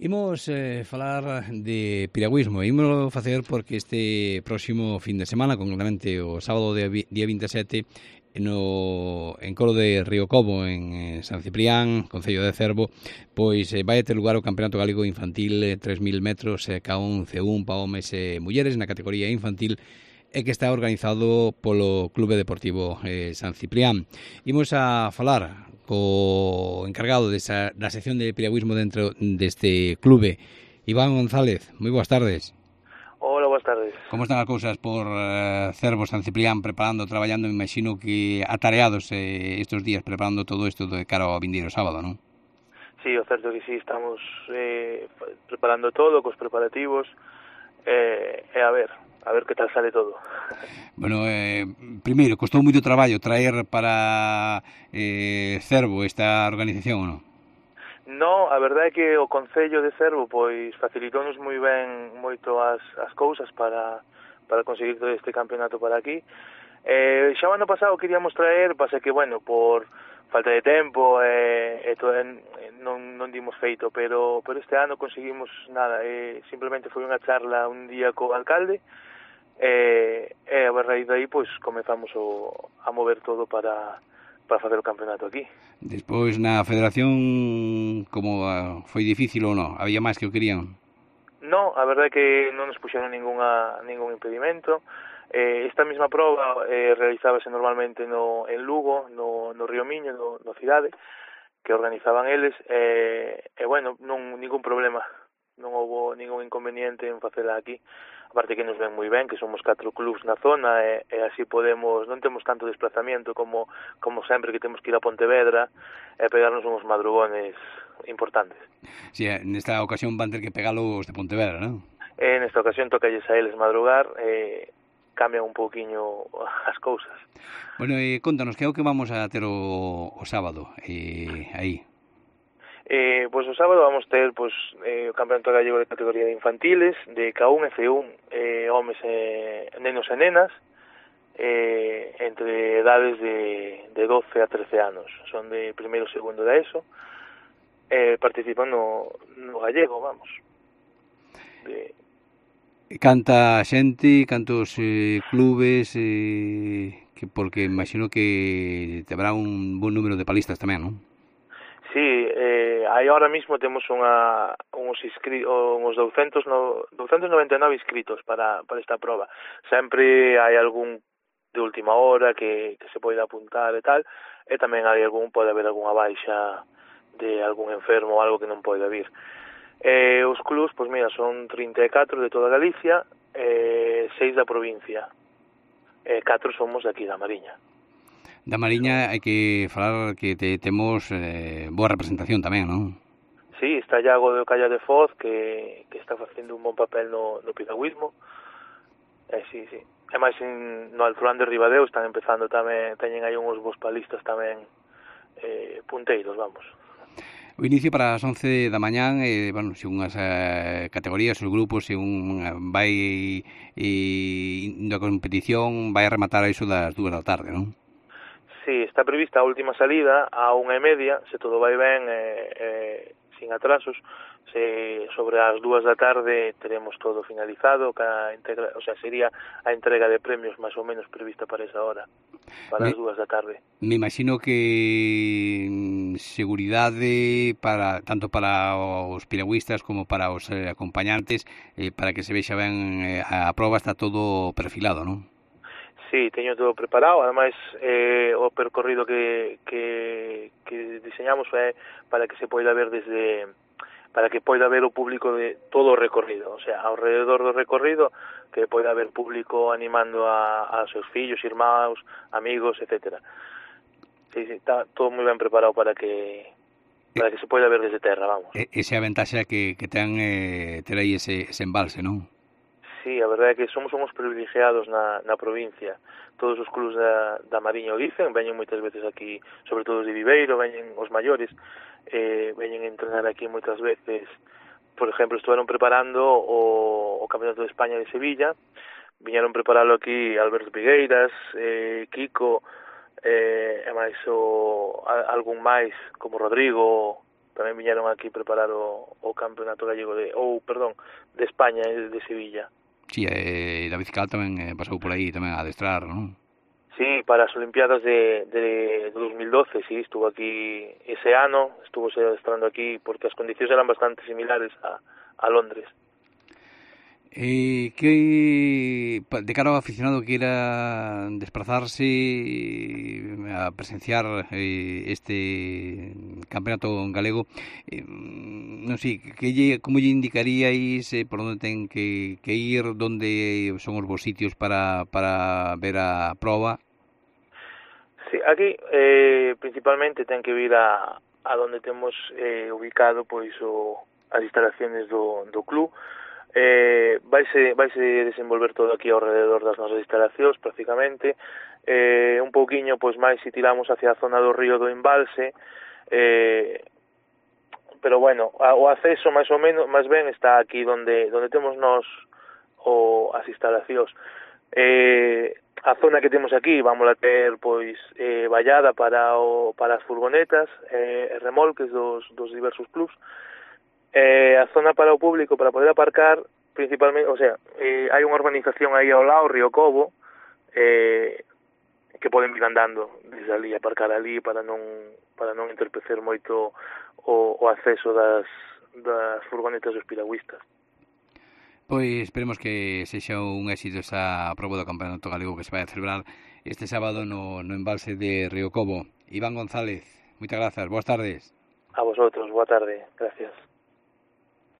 Imos falar de piragüismo. Imos facer porque este próximo fin de semana, concretamente o sábado día 27, en Coro de Río Como, en San Ciprián, Concello de Cervo, pois vai ter lugar o Campeonato Galego Infantil 3000 metros ca un C1 para homes e mulleres na categoría infantil e que está organizado polo Clube Deportivo San Ciprián. Imos a falar co encargado da sección de piragüismo dentro deste clube, Iván González. Moi boas tardes. Hola, boas tardes. Como están as cousas por Cervo, San Ciprián, traballando, imagino que atareados estes días preparando todo isto de cara ao vindeiro sábado, non? Sí, o certo que sí, estamos preparando todo, cos preparativos, a ver que tal sale todo. Bueno, primeiro, costou moito traballo traer para Cervo esta organización, ou non? No, a verdade é que o Concello de Cervo pois facilitounos moi ben moito as cousas para conseguir todo este campeonato para aquí. Xa o ano pasado queríamos traer, pasa que, bueno, por falta de tempo non dimos feito, pero este ano conseguimos nada, simplemente foi unha charla un día co alcalde, a raíz de aí pois comezamos a mover todo para facer o campeonato aquí. Despois na federación, como foi difícil ou non? Había máis que o querían? No, a verdade é que non nos puxeron ningún impedimento. Esta mesma proba realizábase normalmente en Lugo, no Río Miño, no Cidade, que organizaban eles, bueno, ningún problema, non houbo ningún inconveniente en facela aquí. Aparte que nos ven moi ben, que somos 4 clubs na zona e así podemos, non temos tanto desplazamiento como sempre que temos que ir a Pontevedra e pegarnos uns madrugones importantes. Si, nesta ocasión van ter que pegalos de Pontevedra, non? Nesta ocasión tocalles a eles madrugar, cambian un pouquiño as cousas. Bueno, contanos, que é o que vamos a ter o sábado aí? Pois o sábado vamos ter o Campeonato Gallego de categoría de infantiles, de K1 e C1, homes nenos e nenas, entre edades de 12 a 13 anos. Son de primeiro e segundo da ESO, participan no gallego, vamos. Canta xente, cantos clubes, porque imagino que habrá un bon número de palistas tamén, non? Sí, aí ahora mismo temos uns 299 inscritos para esta proba. Sempre hai algún de última hora que se pode apuntar e tal, e tamén pode haber algunha baixa de algún enfermo ou algo que non pode vir. Os clubs, pois mira, son 34 de toda Galicia, 6 da provincia, 4 somos de aquí da Mariña. Da Mariña hai que falar que temos boa representación tamén, non? Sí, está Iago de Ocalla de Foz, que está facendo un bon papel no piragüismo. Sí. E máis no Alfurán de Ribadeo están empezando tamén, teñen aí uns bons palistas tamén punteiros, vamos. O inicio para as 11 da mañán, bueno, según as categorías, os grupos, según vai indo a competición, vai a rematar a iso das 2 da tarde, non? Sí, está prevista a última salida a 1:30, se todo vai ben, sin atrasos. Sobre as 2 da tarde teremos todo finalizado, sería a entrega de premios máis ou menos prevista para esa hora, para as 2 da tarde. Me imagino que seguridade tanto para os piragüistas como para os acompañantes, para que se vexa ben a proba, está todo perfilado, non? Sí, teño todo preparado, ademais o percorrido que diseñamos é para que se poida ver para que poida ver o público de todo o recorrido, o sea, ao redor do recorrido, que poida haber público animando a seus fillos, irmãos, amigos, etcétera. Sí, está todo moi ben preparado para que se poida ver desde terra, vamos. Esa é a ventaxa que ten ter aí ese embalse, non? Sí, a verdade é que somos privilegiados na provincia. Todos os clubs da Mariña o dicen, veñen moitas veces aquí, sobre todo os de Viveiro, veñen os maiores, veñen a entrenar aquí moitas veces. Por exemplo, estuveron preparando o Campeonato de España de Sevilla, viñeron preparalo aquí Alberto Pigueiras, Kiko, e máis algún máis, como Rodrigo, tamén viñeron aquí preparar o campeonato gallego de España, de Sevilla. Sí, David Cal tamén pasou por aí tamén a adestrar, non? Sí, para as Olimpiadas de 2012, sí, estuvo aquí ese ano, estuvo adestrando aquí porque as condicións eran bastante similares a Londres. De cara ao aficionado que era desplazarse a presenciar este campeonato galego, non sei, como lle indicaríais por onde ten que ir, onde son os bons sitios para ver a proba? Sí, aquí principalmente ten que vir a donde temos ubicado pois as instalaciones do club. Vaise desenvolver todo aquí ao rededor das nosas instalacións prácticamente, un pouquiño pois máis se tiramos hacia a zona do río do Embalse, pero bueno, o acceso máis ou menos máis ben está aquí onde temos nós as instalacións. A zona que temos aquí vamos a ter pois vallada para as furgonetas, remolques dos diversos clubs. A zona para o público para poder aparcar principalmente, o sea, hai unha urbanización aí ao lado, Río Cobo, que poden vir andando desde ali, aparcar ali para non entorpecer moito o acceso das furgonetas dos piragüistas. Pois esperemos que sexa un éxito esa proba do Campeonato Galego que se vai a celebrar este sábado no embalse de Río Cobo. Iván González, moitas grazas, boas tardes. A vosotros, boa tarde, gracias.